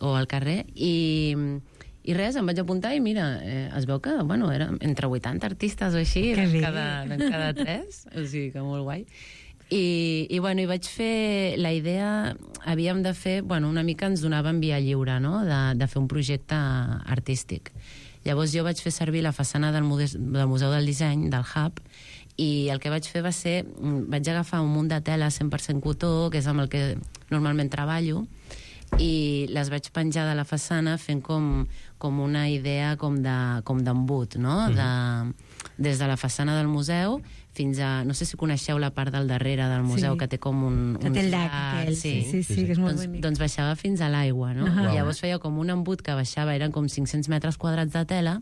o al carrer, i res, em vaig apuntar i mira, es veu que, bueno, eren entre 80 artistes o així, en cada 3, o sigui que molt guai. I bueno, vaig fer la idea, havíem de fer, bueno, una mica ens donaven via lliure, no?, de fer un projecte artístic. Llavors jo vaig fer servir la façana del Museu del Disseny, del Hub, i el que vaig fer va ser, vaig agafar un munt de tela 100% cotó, que és amb el que normalment treballo, i les vaig penjar de la façana fent com una idea com d'embut, no? Des de la façana del museu fins a... No sé si coneixeu la part del darrere del museu, que té com un... Que té el llac aquell, sí, que és molt bonic. Doncs baixava fins a l'aigua, no? Llavors feia com un embut que baixava, eren com 500 metres quadrats de tela,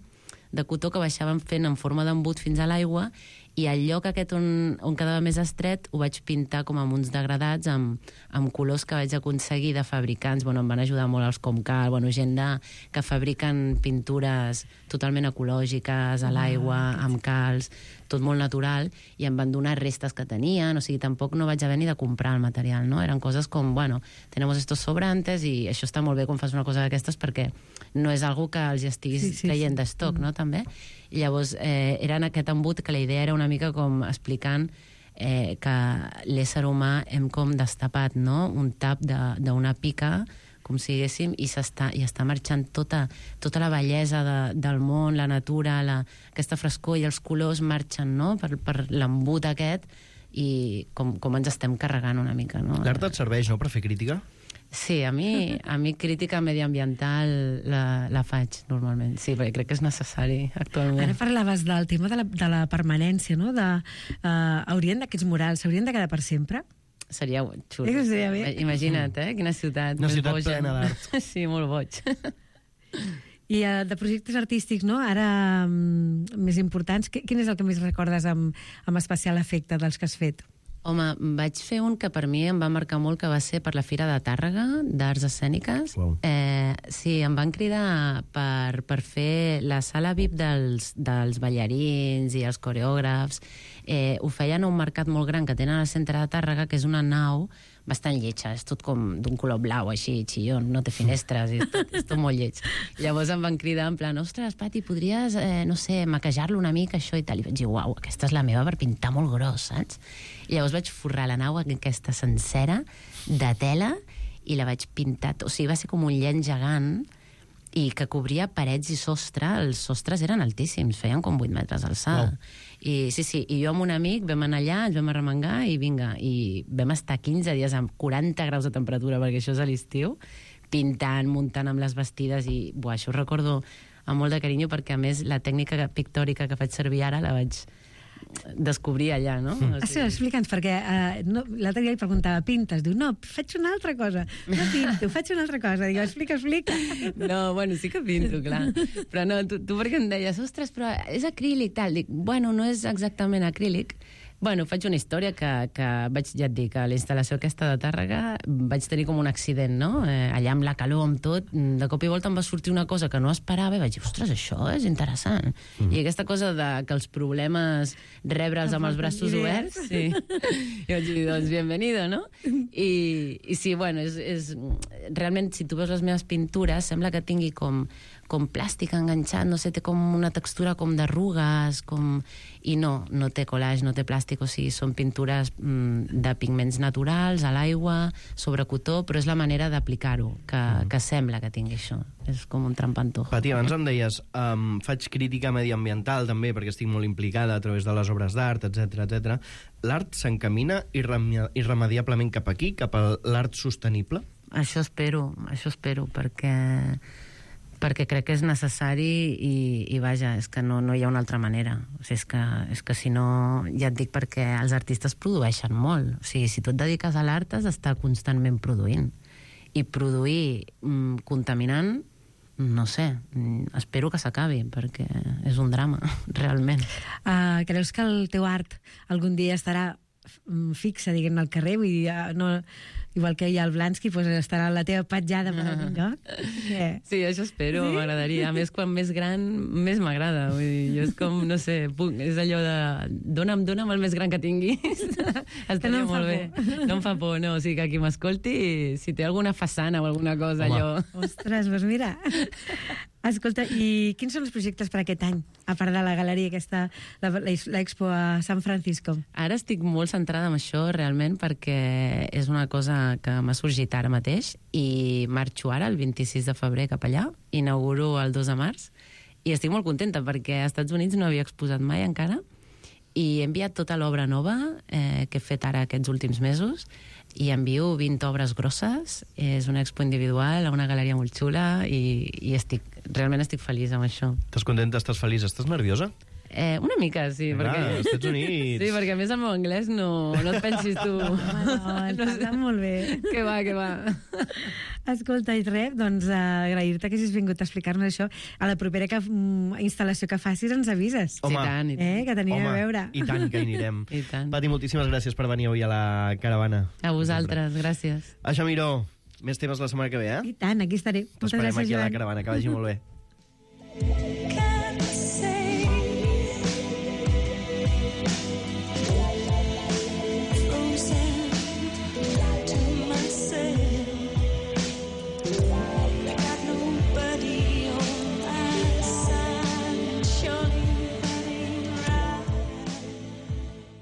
de cotó que baixaven fent en forma d'embut fins a l'aigua, i el lloc aquest on quedava més estret ho vaig pintar com amb uns degradats amb colors que vaig aconseguir de fabricants. Bueno, em van ajudar molt els Comcal, gent que fabriquen pintures totalment ecològiques, a l'aigua, amb calç, tot molt natural, i em van donar restes que tenien, o sigui, tampoc no vaig haver ni de comprar el material, no? Eren coses com, bueno, tenemos estos sobrantes i això està molt bé quan fas una cosa d'aquestes perquè no és algo que els estiguis traient d'estoc, no?, també. I llavors era en aquest embut que la idea era una mica com explicant que l'ésser humà hem com destapat, no?, un tap d'una pica, com si diguéssim, i està marxant tota la bellesa del món, la natura, aquesta frescor i els colors marxen, no?, per l'embut aquest, i com ens estem carregant una mica, no? L'art et serveix, no?, per fer crítica? Sí, a mi crítica mediambiental la faig normalment, sí, perquè crec que és necessari actualment. Ara parlaves del tema de la permanència, no? Aquests murals s'haurien de quedar per sempre? Seria xulo. Seria bé. Imagina't, quina ciutat. Una ciutat plena d'art. Sí, molt boig. I de projectes artístics, no?, ara més importants, quin és el que més recordes amb especial afecte dels que has fet? Home, vaig fer un que per mi em va marcar molt, que va ser per la Fira de Tàrrega, d'Arts Escèniques. Wow. Sí, em van cridar per fer la sala VIP dels ballarins i els coreògrafs. Ho feien a un mercat molt gran que tenen al centre de Tàrrega, que és una nau bastant lletja, és tot com d'un color blau, així, xillon, no té finestres, és tot molt lleig. Llavors em van cridar en plan, ostres, Pati, podries, no sé, maquejar-lo una mica, això i tal, i vaig dir, uau, aquesta és la meva per pintar molt gros, saps? I llavors vaig forrar la nau aquesta sencera de tela i la vaig pintar, o sigui, va ser com un llenç gegant i que cobria parets i sostre. Els sostres eren altíssims, feien com 8 metres d'alçada. I sí, i jo amb un amic vam anar allà, ens vam arremengar i vinga, i vam estar 15 dies amb 40 graus de temperatura, perquè això és a l'estiu, pintant, muntant amb les vestides, i això ho recordo amb molt de carinyo, perquè a més la tècnica pictòrica que faig servir ara la vaig descobrir allà, no? Sí, explica'ns, perquè l'altre dia li preguntava, pintes? Diu, no, faig una altra cosa. No pinto, faig una altra cosa. Dic, explica. No, bueno, sí que pinto, clar. Però no, tu perquè em deies, ostres, però és acrílic, tal. Dic, bueno, no és exactament acrílic. Bueno, faig una història que vaig, ja et dic, a la instal·lació aquesta de Tàrrega vaig tenir com un accident, no? Allà amb la calor, amb tot, de cop i volta em va sortir una cosa que no esperava i vaig dir, ostres, això és interessant. I aquesta cosa de que els problemes rebre'ls amb els braços oberts, sí. I vaig dir, doncs, bienvenido, no? I sí, bueno, realment, si tu veus les meves pintures, sembla que tingui com plàstic enganxat, no sé, té com una textura com d'arrugues, i no té collage, no té plàstic, o sigui, són pintures de pigments naturals, a l'aigua, sobre cotó, però és la manera d'aplicar-ho, que sembla que tingui això. És com un trampantojo. Pati, abans em deies, faig crítica mediambiental també, perquè estic molt implicada a través de les obres d'art, etc. L'art s'encamina irremediablement cap aquí, cap a l'art sostenible? Això espero, perquè crec que és necessari i vaja, és que no hi ha una altra manera. O sigui, és que si no, ja et dic, perquè els artistes produeixen molt. O sigui, si tu et dediques a l'art has d'estar constantment produint. I produir contaminant, no sé, espero que s'acabi, perquè és un drama, realment. Creus que el teu art algun dia estarà fixa, diguem, al carrer? Vull dir, no... Igual que hi ha el Blansky, doncs estarà la teva petjada per algun lloc? Sí, això espero, m'agradaria. A més, quan més gran, més m'agrada. Vull dir, jo és com, no sé, és allò de... Dona'm el més gran que tinguis. Estaria molt bé. No em fa por, no. O sigui, que qui m'escolti, si té alguna façana o alguna cosa, allò... Ostres, doncs mira... Escolta, i quins són els projectes per aquest any? A part de la galeria aquesta, l'Expo a San Francisco. Ara estic molt centrada en això, realment, perquè és una cosa que m'ha sorgit ara mateix i marxo ara, el 26 de febrer, cap allà, inauguro el 2 de març, I estic molt contenta perquè als Estats Units no havia exposat mai encara i he enviat tota l'obra nova que he fet ara aquests últims mesos i envio 20 obres grosses. És una expo individual a una galeria molt xula i realment estic feliç amb això. Estàs contenta, estàs feliç, estàs nerviosa? Una mica, sí. Perquè... als Estats Units. Sí, perquè a més el meu anglès no et pensis tu. No, et passa molt bé. Que va. Escolta, i res, doncs agrair-te que hagis vingut a explicar-nos això. A la propera instal·lació que facis ens avises. Home, i tant. Que t'anirem a veure. I tant que hi anirem. I tant. Pati, moltíssimes gràcies per venir avui a la caravana. A vosaltres, gràcies. Aixa Miró, més temes la setmana que ve, I tant, aquí estaré. Moltes T'esperem gràcies, aquí a la Joan. caravana, que vagi molt bé.